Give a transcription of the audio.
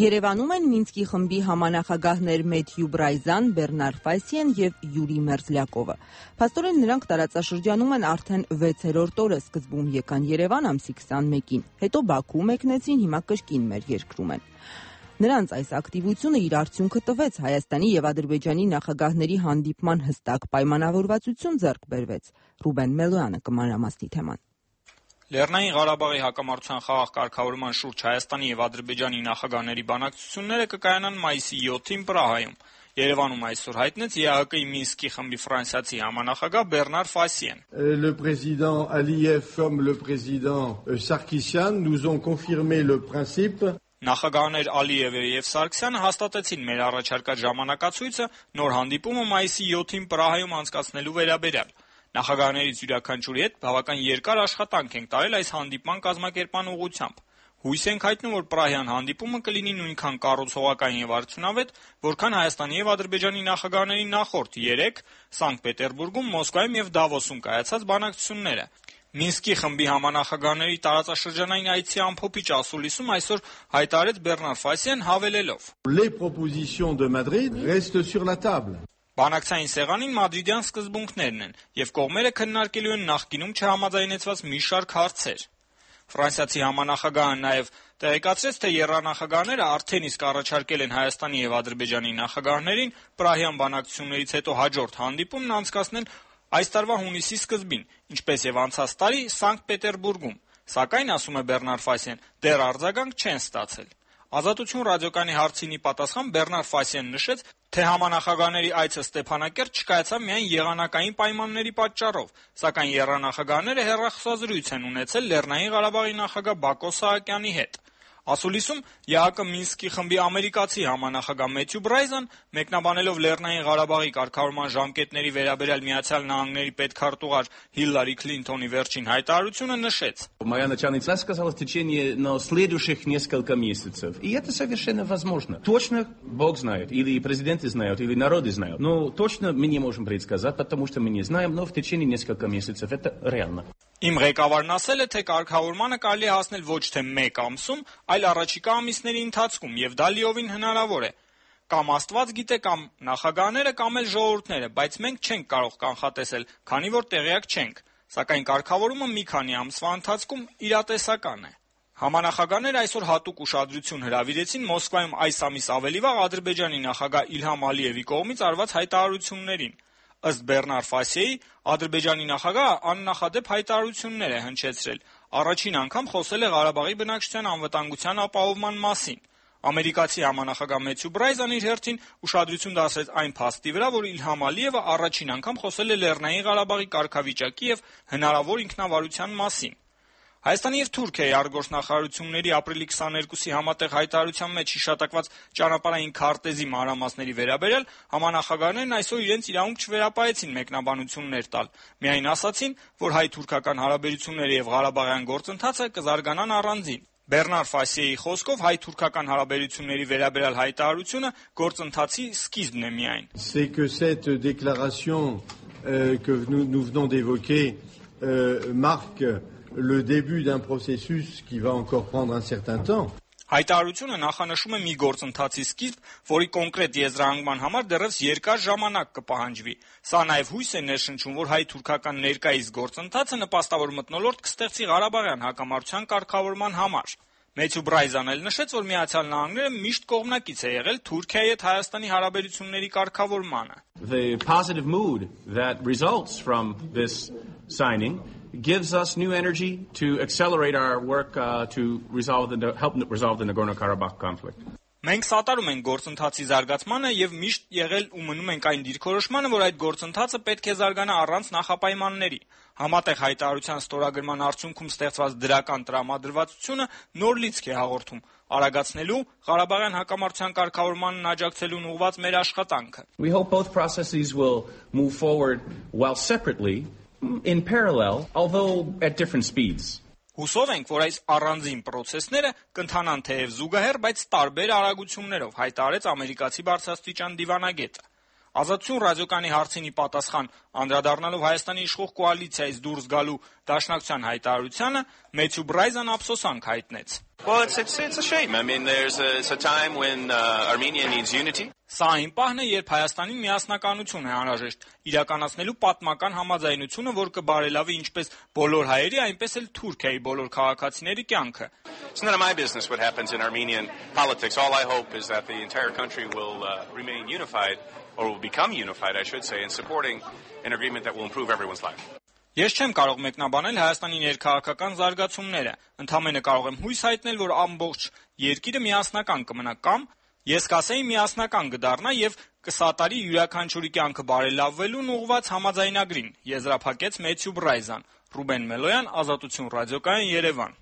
Երևանում են Մինսկի խմբի համանախագահներ Մեթյու Բրայզան, Բեռնար Ֆայսիեն եւ Յուրի Մերզլյակովը։ Փաստորեն նրանք տարածաշրջանում են արդեն 6-րդ օրը, սկզբում եկան Երևան ամսի 21-ին, հետո Բաքու մեկնեցին, հիմա կրկին մեր երկրում են։ Նրանց այս ակտիվությունը իր արդյունքը տվեց, Հայաստանի եւ Ադրբեջանի նախագահների հանդիպման հստակ պայմանավորվածություն ձեռք բերվեց։ Ռուբեն Մելոյանը կմանրամասնի թեման։ Լեռնային Ղարաբաղի հակամարտության խաղաղ կարգավորման շուրջ Հայաստանի եւ Ադրբեջանի նախագահների բանակցությունները կկայանան մայիսի 7-ին Պրահայում։ Երևանում այսօր հայտնեց ԵԱՀԿ-ի Մինսկի խմբի ֆրանսիացի համանախագահ Բեռնար Ֆայսիեն։ Le président Aliyev comme le président Sarkisyan nous ont confirmé le principe. Նախագահներ Ալիևը եւ Սարգսյանը հաստատեցին մեր առաջարկած ժամանակացույցը նոր հանդիպումը մայիսի 7-ին Պրահայում անցկացնելու վերաբերյալ։ Նախագահներից յուրաքանչյուրի հետ բավական երկար աշխատանք ենք տարել այս հանդիպման կազմակերպման ուղղությամբ։ Հույս ենք հայտնում, որ Պրահյան հանդիպումը կլինի նույնքան կառուցողական եւ արդյունավետ, որքան Հայաստանի եւ Ադրբեջանի նախագահների նախորդ 3 Սանկտ Պետերբուրգում, Մոսկվայում եւ Դավոսում կայացած բանակցությունները։ Մինսկի խմբի համանախագահների տարածաշրջանային այցի ամփոփիչ ասուլիսում այսօր հայտարարեց Բեռնար Ֆայսիեն հավելելով. Les propositions de Madrid restent sur la table. Բանակցային սեղանին մադրիդյան սկզբունքներն են եւ կողմերը քննարկելու են նախկինում չհամաձայնեցված մի շարք հարցեր։ Ֆրանսիացի համանախագահը նաեւ տեղեկացրեց, թե եռանախագահները արդեն իսկ առաջարկել են Հայաստանի եւ Ադրբեջանի նախագահներին Պրահյան բանակցություններից հետո հաջորդ հանդիպումն անցկացնել այս տարվա հունիսի սկզբին, ինչպես եւ անցած տարի Սանկտ Պետերբուրգում, սակայն, ասում է Բեռնար Ֆայսիեն, դեռ արձագանք չեն ստացել։ Ազատություն ռադիոկայանի հարցինի պատասխան Բեռնար Ֆայսիեն նշեց, թե համանախագահների այցը Ստեփանակերտ չկայացավ միայն եղանակային պայմանների պատճառով, սակայն եռանախագահները հեռախոսազրույց են ունեցել Լեռնային Ղարաբաղի նախագահ Բակո Սահակյանի հետ։ Ասուլիսում ԵԱՀԿ Մինսկի խմբի ամերիկացի համանախագահ Մեթյու Բրայզան, մեկնաբանելով Լեռնային Ղարաբաղի կարգավորման ժամկետների վերաբերյալ Միացյալ Նահանգների պետքարտուղար Հիլարի Քլինթոնի վերջին հայտարարությունը несեց. Моя начальница сказала в течение следующих несколько месяцев. И это совершенно возможно. Точно Бог знает, или президенты знают, или народы знают. Но точно мы не можем предсказать, потому что мы не знаем, но в течение нескольких месяцев это реально. Իմ ղեկավարն ասել է, թե կարգավորմանը կարելի է հասնել ոչ թե 1 ամսում, այլ առաջիկա ամիսների ընթացքում, եւ դա լիովին հնարավոր է։ Կամ Աստված գիտե, կամ նախագահները, կամ էլ ժողովուրդները, բայց մենք չենք կարող կանխատեսել, քանի որ տեղյակ չենք, սակայն կարգավորումը մի քանի ամսվա ընթացքում իրատեսական է։ Համանախագահները այսօր հատուկ ուշադրություն հրավիրեցին Մոսկվայում այս ամիս ավելի վաղ Ադրբեջանի նախագահ Իլհամ Ալիևի կողմից արված հայտարարություններին։ Ըստ Բեռնար Ֆայսիեի, Ադրբեջանի նախագահը աննախադեպ հայտարարություններ է հնչեցրել։ Առաջին անգամ խոսել է Ղարաբաղի բնակչության անվտանգության ապահովման մասին։ Ամերիկացի համանախագահ Մեթյու Բրայզան իր հերթին ուշադրություն դարձրեց այն փաստի վրա, որ Իլհամ Ալիևը առաջին անգամ խոսել է Լեռնային Ղարաբաղի կարգավիճակի եւ հնարավոր ինքնավարության մասին։ Հայաստանի եւ Թուրքիայի արտգործնախարարությունների ապրիլի 22-ի համատեղ հայտարարության մեջ հիշատակված ճանապարհային քարտեզի մանրամասների վերաբերյալ համանախագահներն այսօր իրենց իրավունք չվերապահեցին մեկնաբանություններ տալ։ Միայն ասացին, որ հայ-թուրքական հարաբերությունները եւ Ղարաբաղյան գործընթացը կզարգանան առանձին։ Բեռնար Ֆայսիեի խոսքով հայ-թուրքական հարաբերությունների վերաբերյալ հայտարարությունը գործընթացի սկիզբն է միայն։ C'est que cette déclaration que nous venons d'évoquer marque le début d'un processus qui va encore prendre un certain temps. Հայտարարությունը նախանշում է մի գործընթացի սկիզբ, որի կոնկրետ եզրահանգման համար դեռևս երկար ժամանակ կպահանջվի։ Սա նաև հույս է ներշնչում, որ հայ-թուրքական ներկայիս գործընթացը նպաստավոր մթնոլորտ կստեղծի Ղարաբաղյան հակամարտության կարգավորման համար։ Մեթյու Բրայզան էլ նշեց, որ Միացյալ Նահանգները միշտ կողմնակից է եղել Թուրքիայի հետ Հայաստանի հարաբերությունների կարգավորմանը։ The positive mood that results from this signing gives us new energy to accelerate our work to help resolve the Nagorno-Karabakh conflict. Մենք սատարում ենք գործընթացի զարգացմանը եւ միշտ եղել ու մնում ենք այն դիրքորոշմանը, որ այդ գործընթացը պետք է զարգանա առանց նախապայմանների։ Համատեղ հայտարարության ստորագրման արդյունքում ստեղծված դրական տրամադրվածությունը նոր լիցք է հաղորդում արագացնելու Ղարաբաղյան հակամարտության կարգավորմանն աջակցելուն ուղղված մեր աշխատանքը։ We hope both processes will move forward while separately in parallel, although at different speeds. Հուսով ենք, որ այս առանձին պրոցեսները կընթանան թեև զուգահեռ, բայց տարբեր արագություններով, հայտարարեց ամերիկացի բարձրաստիճան դիվանագետը։ Ազատություն ռադիոկայանի հարցին ի պատասխան անդրադառնալով Հայաստանի իշխող կոալիցիայից դուրս գալու Դաշնակցության հայտարարությանը Մեթյու Բրայզան ափսոսանք հայտնեց. Well, it's a shame. I mean, it's a time when Armenia needs unity. Սա այն պահն է, երբ Հայաստանին միասնականություն է անհրաժեշտ, իրականացնելու պատմական համաձայնությունը, որ կբարելավի ինչպես բոլոր հայերի, այնպես էլ Թուրքիայի բոլոր քաղաքացիների կյանքը. It's none of my business what happens in Armenian politics. All I hope is that the entire country will remain unified, or will become unified, I should say, in supporting an agreement that will improve everyone's life. Ես չեմ կարող մեկնաբանել Հայաստանի ներքաղաքական զարգացումները, ընդամենը կարող եմ հույս հայտնել, որ ամբողջ երկիրը միասնական կմնա կամ ես կասեի միասնական կդառնա եւ կսատարի յուրաքանչյուրի կյանքը բարելավվելուն ուղղված համաձայնագրին, եզրափակեց Մեթյու Բրայզան. Ռուբեն Մելոյան, Ազատություն ռադիոկայան, Երևան.